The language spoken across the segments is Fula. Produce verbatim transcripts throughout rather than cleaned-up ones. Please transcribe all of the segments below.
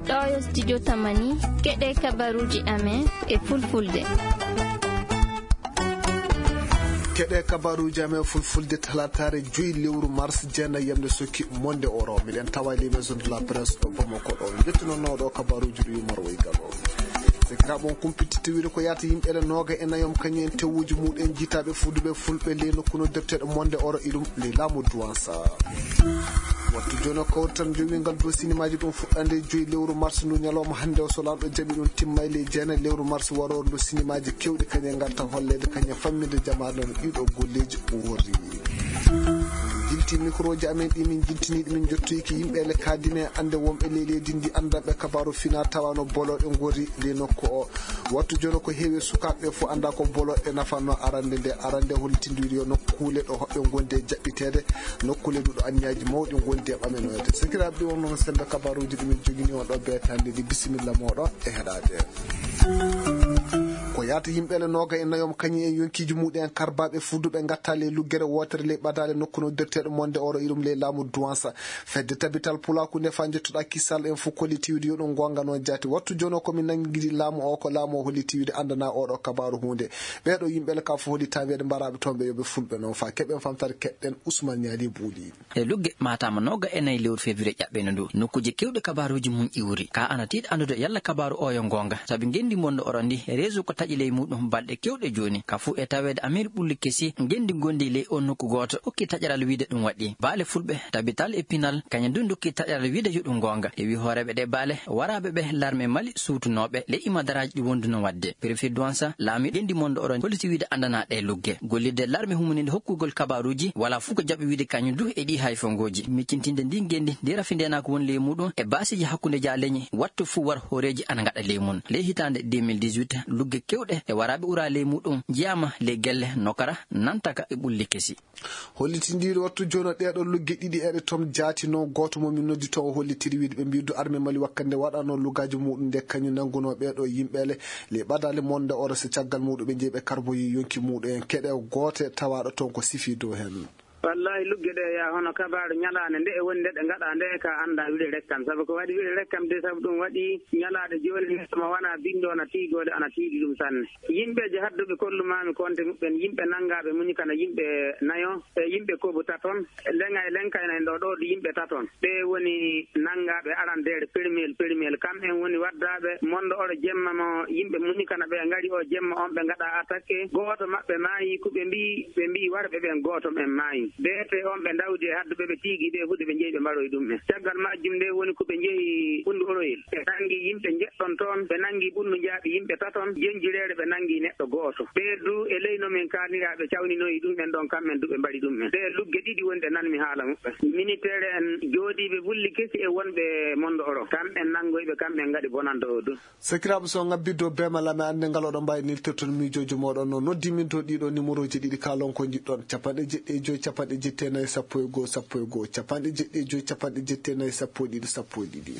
Ɗo yo studio Tamani, keɗe kabaruji amen e fulfulde. Keɗe kabaruji amen fulfulde, talataare joyi lewru mars, jeenayi yamde sokki monde oro. Miɗen tawa les maisons de la presse ɗo Bamako ɗo. Jettunono ɗo kabaruji ɗo yumar way galo. Sekiraɓe on kumpititti wiide ko yaata yimɓe le nooga e nayom kañum en tewuji muɗen jitaɓe fuduɓe fulɓe ley nokku noddirteɗo monde oro iɗum ley laamu duwansa. Wattu jono kawtal jowingal dow sinimaji ɗum fuɗɗande joyi lewru mars ndu ñalawma hannde o, so lanɗo jaɓi ɗum timmay ley jeenayi lewru mars waroru ndu sinimaji kewɗi kañe ngarta holleede kañe famminde jamaare no ɗiɗo golleji worri. Jilti microji amen ɗi min jiltiniɗi min jottoyki yimɓe le kadine ande wonɓe ley leydi ndi andanɓe kabaru fina tawano boloɗe gorri ley nokku o. Wattu jono ko heewi sukaaɓe fof annda ko boloɗe nafanno arande nde. Arande hollitindiwiri yo nokkuule ɗo hoɓɓe gondi e jaɓɓiteede, nokkuule ɗuɗo anniyaji mawɗi gondi e ɓamenoyde. Sekiraaɓe ɗi wonno no sembe kabaruji ɗi min jogini on ɗo beetande ɗi. Bisimilla moɗon e heɗade. Ko yaata yimɓe le nooga e nayom kañum en yonkiji muɗen karbaɓe fuduɓe gatta ley luggere wotere ley ɓadale nokku no derteɗo monde oro irum ley laamu duwansa. Fedde tabital pulaku nde fa jettuɗa kisal en fof kolliti wiide yo ɗum gonga noon jaati. Wattu jono komin nanngidi laamu o, ko laamu o holliti wiide anndana oɗo kabaru hunde. Ɓeɗo yimɓe le ka fof holli taweede mbaraɓe toon ɓe yoɓe fulɓe noon fa keɓen famtare keɗɗen Ousmane Niali Bouli. E lugge matama noga e nayi lewru février ƴaɓɓeno ndu, nokkuji kewɗi kabaruji mum iwri. Ka ana tiiɗi anndude yalla kabaru o yo gonga, sabi ngendi mondo oro ndi réseau ko taƴi ley muɗum balɗe kewɗe joni. Ka fof e taweede Amir Ɓulli Kesi, ngendi gondi ley o nokku gooto, okki taƴaral wiide ɗum waɗi. Baale fulɓe, tabital e pinal, kañum du dokki taƴaral wiide yo ɗum gonga. E wi hooreeɓe ɗe baale, waraaɓe ɓe larme Mali suutunooɓe, ley imadaraji ɗi wonduno waɗde. Préfet Douansa, laami ngendi mondo oro, holiti wiide andana ɗe lugge. Gollirde larme humuninde hokkugol kabaruji, wala fof ko jaɓi wiide kañum du e ɗi hayfongoji. Miccintinde ndi ngendi, ndi rafi ndenaako woni ley muɗum, e baasiji hakkunde ja leñi, wattu fof war hooreeji ana ngaɗa ley mum. Ley hitaande deux mille dix-huit, lugge kewɗe e waraaɓe ura ley muɗum, njiyaama ley gelle nokara, nantaka e Ɓulli Kesi. Hollitindiiɗo wattu jooni o ɗeeɗo lugge ɗiɗi eɗe toon jaati noon, gooto mo min noddi toon o hollitiri wiide ɓe mbiidu arme Mali wakkande waɗano lugaaji muɗum nde kañum nanngunoo ɓeeɗo yimɓe le, ley ɓadaali monde oro so caggal muɗum ɓe njeyi ɓe karboyi yonki muɗum en keɗe goote tawaaɗo toon ko sifi dow heen. Wallahi lugge ɗe ya hono kabaaru ñalaande nde e woni nde ɗe ngaɗa nde ka annda wiɗe rekkam, sabu ko waɗi wiɗe rekkam de, sabu ɗum waɗi ñalaaɗe jooni neɗɗo mo wona binndo na tiigoode ana tiiɗi ɗum sanne. Yimɓeeje hadduɓe kollumaami konte muɓɓen, yimɓe nanngaaɓe muñi kana yimɓe nayo, e yimɓe kobu taton, leŋa e leŋkayna en ɗo ɗo yimɓe taton. Ɓe woni nanngaaɓe arandeere permel, permel. Kam en woni waddaaɓe mondo oro jemma mo yimɓe muñi kana ɓe ngari o jemma on ɓe ngaɗa attaque. Gooto maɓɓe maayi, ko ɓe mbii, ɓe mbii warɓe ɓen gooto men maayi. Beete on ɓe ndawdi e hadduɓe ɓe tiigi ɓe huɗe ɓe njeyi ɓe mbaroyi ɗum en. Caggal majjum nde woni ko ɓe njehi Fundu Oroyel. Ɓe nanngi yimɓe njeɗɗon toon, ɓe nanngi Bunnu Njaaɓi yimɓe taton, Jenjireere ɓe nanngi neɗɗo gooto. Ɓee du e ley no min kaalnira ɓe cawninoyi ɗum en ɗon, kamɓen du ɓe mbaɗi ɗum en. Ɗe lugge ɗiɗi woni ɗe nanmi haala muɓɓen. Miniteere en jooɗiiɓe Bulli Kesi e wonɓe Mondo Oro, kamɓen nanngoyi ɓe, kamɓen ngaɗi bonannde o du. Sakiraaɓe, so on ngabbidde o beemal amen, annde ngal oɗon mbaawi neltirde toon miijooji mooɗon. No noddi min to ɗiɗo numéroji ɗiɗi, kaalon ko njiɗɗon, capanɗe jeɗɗi e joy, capanɗe jeɗɗi e nayi, sappo e goo, sappo e goo, capanɗe jeɗɗi e joy, capanɗe jeɗɗi e nayi, sappo e ɗiɗi, sappo e ɗiɗi.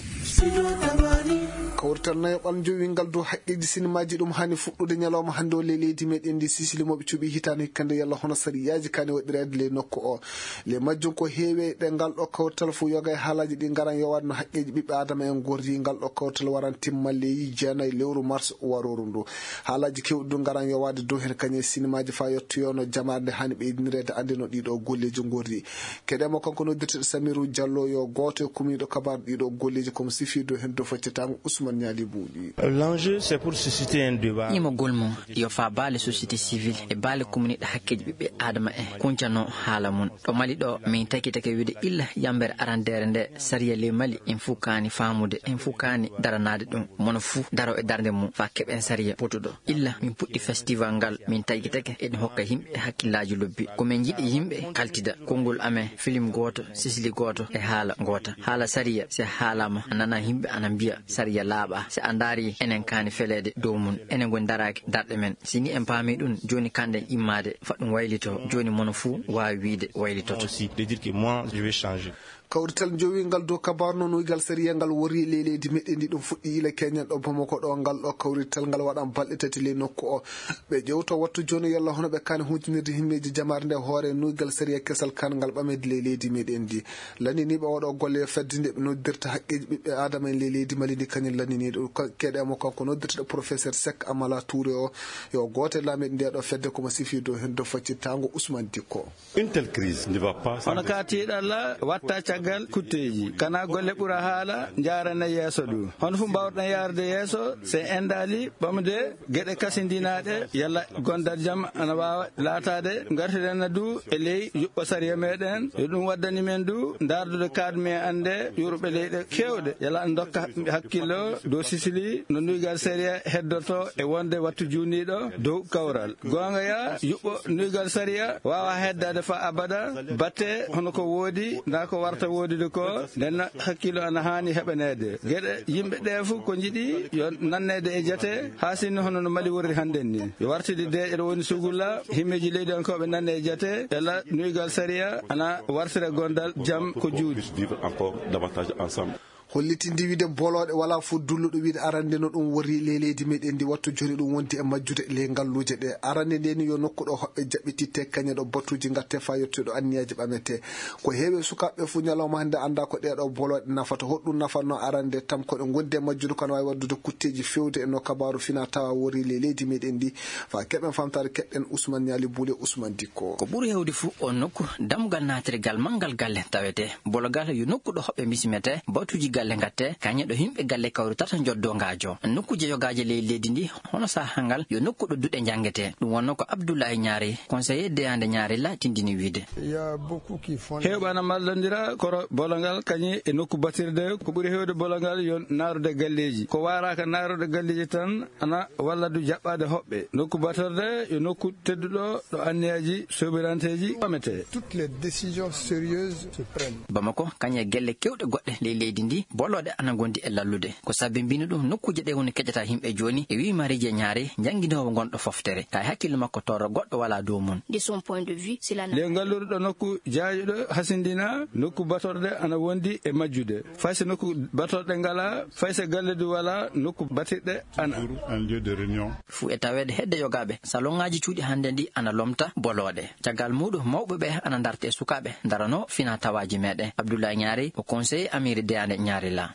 Kawrital nayo ɓalnjo wingal dow haqqeeji sinimaaji ɗum haani fuɗɗude ñalawma hannde o ley leydi meɗen ndi. Sisili mo ɓe cuɓi hitaande hikkande yalla hono sariyaaji kaani waɗireede ley nokku o. Ley majjum ko heewi e ɗe ngal ɗo kawrital fof yoga e haalaaji ɗi ngaran yowaade no haqqeeji ɓiɓɓe aadama en ngorri. Ngal ɗo kawrital waran timmal ley jeenayi lewru mars warooru ndu. Haalaaji keewɗi du ngaran yowaade dow heen kañum e sinimaaji faa yottoyoo no jamaare nde haani ɓeydinireede annde no ɗiɗo golleeji ngorri. Keɗe mo kanko noddirteɗo Samiru Jallo yo gooto e kumiiɗo kabaar ɗiɗo golleeji komo sifi dow heen dow faccitaango Ousmane Ñaali Buuɗi. L'enjeu, c'est pour susciter un débat. Ñimagol mo yo faa baale société civile e baale kumniiɗo hakkeeji ɓiɓɓe aadama en kuncano haala mum. Ɗo Mali ɗo, min takitake wiide illa yambere arandeere nde sariya ley Mali en fof kaani faamude, en fof kaani daranaade ɗum. Mono fof daro e darnde mum faa keɓen sariya potuɗo. Illa min puɗɗi festival ngal, min takitake eɗen hokka yimɓe hakkillaaji lobbi. Ko min njiɗi yimɓe kaltida. Konngol amen, film gooto, sisili gooto e haala ngoota. Haala sariya, si haalaama, a nana yimɓe ana mbiya sariya laaɓaa. Si a ndaari, enen kaani feleede dow mum. Enen ngoni daraaki darɗe men. Si ni en paami ɗum, jooni kanɗen immaade, faa ɗum waylitoo. Jooni mono fuu waawi wiide waylitoto. Aussi, de dire que moi, je vais changer. Kawrital jowiingal dow kabaaru no nuygal sariya ngal worri ley leydi meɗen ndi ɗum fuɗɗi ila keñen ɗo Bamako ɗo. Ngal ɗo kawrital ngal waɗan balɗe tati ley nokku o. Ɓe ƴewto wattu jooni yalla hono ɓe kaani huutinirde himmeeji jamaare nde hoore nuygal sariya kesal kan ngal ɓamedi ley leydi meɗen ndi. Lanniniiɓe oɗo golle yo fedde nde ɓe noddirta haqqeeji ɓiɓɓe aadama en ley leydi Mali ndi kañum lanniniiɗo keɗe mo kanko noddirteɗo professeur Sek Amala Touré o. Yo gooto e laamiiɓe nde ɗo fedde komo sifi dow heen dow faccitaango Ousmane Dikko. Une telle crise ne va pas sans... Hono ka tiiɗalla watta caggal kutteeji, kana golle ɓura haala njaarana yeeso ɗum. Hono fof mbaawɗen yaarde yeeso, so en endaali ɓamde geɗe kasindinaaɗe, yalla gondal jam ana waawa laataade. Ngartiren na du e ley yuɓɓo sariya meɗen, yo ɗum waddani men du ndaardude kaadu men annde yurɓe leyɗe keewɗe, yalla an dokka hakkillo dow Sisili no nuygal sariya heddoto e wonde wattu juuniiɗo dow kawral. Goonga ya, yuɓɓo nuygal sariya waawa heddaade fa abada, batte hono ko woodi, ndaa ko warta woodude ko, nden hakkillo ana haani heɓaneede. Geɗe yimɓe ɗe fof ko njiɗi yo nanneede e jate, haa sinno hono no Mali worri hannden ni. Yo wartide de eɗo woni sugulla, himmeeji leydi on ko ɓe nanne e jate, ela nuygal sariya ana wartira gondal jam ko juuɗe. Puisse vivre encore davantage ensemble. Hollitinde wiide bolooɗe wala fof dulluɗo wiide arande no ɗum wori ley leydi meɗen ndi wattu joni ɗum wondi e majjude ley ngalluuje ɗe. Arande nde ni yo nokku ɗo hoɓɓe jaɓɓititte kañe ɗo batuuji ngatte fa yettude ɗo anniyaji ɓamete. Ko heewi e sukaaɓe fof ñalawma hannde annda ko ɗee ɗo bolooɗe nafata. Hoɗɗum nafatno arande tam ko ɗe ngondi e majjude kono waawi waddude kutteeji fewde e no kabaaru fina tawa wori ley leydi meɗen ndi. Fa keɓen famtaade keɗɗen Ousmane Ñaali Buule Ousmane Dikko. Ko ɓuri heewde fof o nokku dammugal naatirgal manngal galle tawete. Bologal yo nokku ɗo hoɓɓe mbisimete, batuuji galle ngatte, kañe ɗo yimɓe galle kawritata njoddo ngaajo. Nokkuuje yogaaje ley leydi ndi, hono sahangal, yo nokku ɗo duɗe njanngete. Ɗum wonno ko Abdoulaye Ñaari, conseiller deyande Ñaari la tindini wiide. Heewɓe ana mallondira koro bologal kañi e nokku batirde. Ko ɓuri heewde bologal yo naarude galleeji. Ko waaraaka naarude galleeji tan ana walla du jaɓɓaade hoɓɓe. Nokku batorde yo nokku tedduɗo ɗo anniyaji sobiranteeji ɓamete. Toutes les décisions sérieuses se prennent. Bamako, kañe gelle kewɗe goɗɗe ley leydi ndi, bolooɗe ana ngondi e lallude. Ko sabi mbino ɗum, nokkuuje ɗe woni keƴata yimɓe jooni, e wii Marie Jean Ñaari, jannginoowo ngonɗo foftere. Ka e hakkille makko torro goɗɗo wala dow mum. De son point de vue, c'est la... Le ngalluɗo nokku jaayuɗo hasindina, nokku batorde ana wondi e majjude. Fay so nokku batorɗe ngala, fay so galle du wala, nokku batirɗe ana. Un lieu de réunion. Fuu e taweede hedde yogaaɓe, salon ŋaaji cuuɗi hannde ndi ana lomta bolooɗe. Caggal muuɗum, mawɓe ɓe ana ndarta e sukaaɓe, ndarano fina tawaaji meɗen. Abdoulaye Ñaari ko conseiller Amiri Deyande Ñaari la.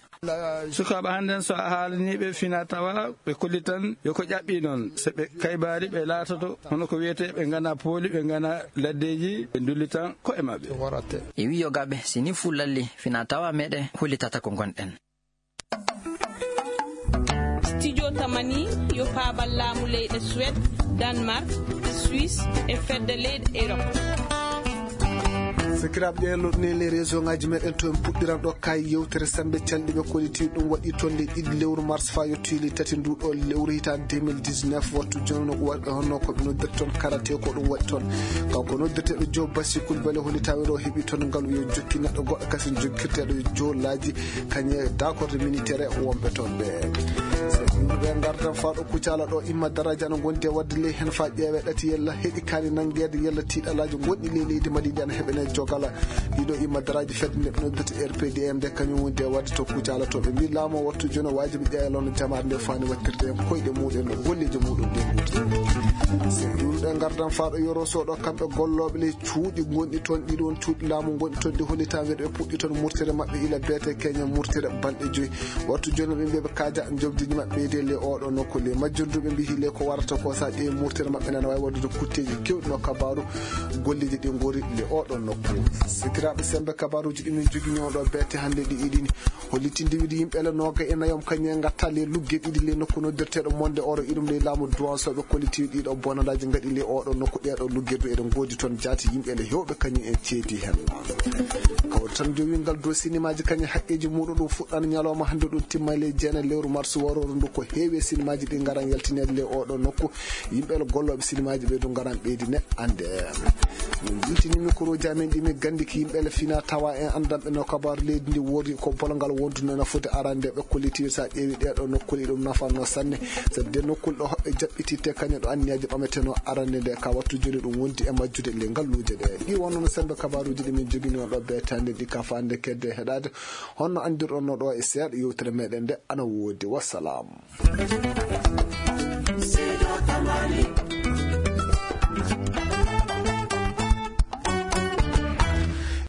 Sukaaɓe hannden so a haalaniiɓe fina tawa, ɓe kollitan yo ko ƴaɓɓi noon. So ɓe kaybaali, ɓe laatoto hono ko wiyetee ɓe ngana pooli, ɓe ngana laddeeji, ɓe ndullitan ko'e maɓɓe. E wii yogaaɓe, si ni fuu lalli, fina tawa meɗen hollitata ko ngonɗen. Studio Tamani yo paabal laamu leyɗe Suède, Danemark, Suisse e fedde leyɗe Europe. Sakiraaɓe, ɗen loɗɗunee les réseau ngaji meɗen to en puɗɗiran ɗo kay yewtere sembe calɗi ɓe kolliti ɗum waɗi toon ley ɗiɗi lewru mars fa yettoyi ley tati ndu ɗo lewru hitaande deux mille dix-neuf. Wattu jooni no waɗi honno ko ɓe noddirta toon karate ko ɗum waɗi toon. Kanko noddirteeɗo Joe Bassi Coulibaly hollitaama ɗo heɓi toon ngalu yo jokki neɗɗo goɗɗo kasen jokkirteeɗo Joe Laaji kañe dakorde militaire wonɓe toon ɓe. So yimɓe ɓe ngardan faa ɗo Kucala ɗo imma daraja no gondi e wadde ley heen faa ƴeewe ɗati yella heɗi kaani nanngeede yella tiiɗalaaji gonɗi ley leydi Mali ndi ana heɓene jogala. Ɗiɗo imma daraaji fedde nde ɓe noddata R P D M nde kañum woni de wadde to Kucala to ɓe mbi laamu o wattu jooni o waajibi ƴeewa lono jamaare nde faani wattirde en koyɗe muɗen no golleeji muɗum ɗe ngurti. So yimɓe ngardan faa ɗo Yoro Sow ɗo kamɓe gollooɓe ley cuuɗi gonɗi toon ɗiɗi won cuuɗi laamu gonɗi toon ɗi hollitaa weeɗo ɓe puɗɗi toon murtere maɓɓe ila beete keñe murtere balɗe joyi. Wattu jooni ɓe mbiya ɓe kaaja jobdiiji maɓɓe ɓeyde le oɗo nokku le majjorduɓe mbi hile ko warata ko sa ƴeewi murtere maɓɓe nana waawi waɗude kutteeji kewɗi no kabaaru golleeji ɗi ngori le oɗo nokku. Sikiraaɓe sembe kabaaruuji ɗi min jogi ñooɗo beete hannde ɗi iɗini hollitinde wiide yimɓe le nooga e nayom kañum en ngatta le lugge ɗiɗi le nokku noddirteeɗo monde oro iɗum le laamu duwansoɓe kolliti ɗiɗo bonandaaji ngaɗi le oɗo nokku ɗeeɗo lugge du eɗen ngoodi toon jaati yimɓe le hewɓe kañum en ceedi heen. Kawri tan jowi ngal dow sinimaaji kañum haqqeeji muɗum ɗum fuɗɗan ñalawma hannde ɗum timma le jeena lewru mars warooru ndu ko heewi e sinimaaji ɗi ngaran yaltineede le oɗo nokku. Yimɓe le gollooɓe sinimaaji ɓe du ngaran ɓeydi ne annde. Min jintinii mikoro jaamin ɗi min ganndi ki yimɓe le fina tawa en anndanɓe no kabaaru leydi ndi woodi ko polongal wonduno no foti arande ɓe kolliti so a ƴeewi ɗee ɗoo nokkuuli ɗum nafanno sanne. Sabu de nokkuuli ɗo hoɓɓe jaɓɓititte kañum ɗo anniyaaji ɓameteno arande nde ka wattu joni ɗum wondi e majjude le ngalluuje ɗe. Ɗi wonno no sembe kabaaruuji ɗi min joginoo ɗo beetande ɗi ka faande kedde heɗaade. Honno anndirɗon no ɗo e seeɗa yewtere meɗen nde ana woodi. Wassalam.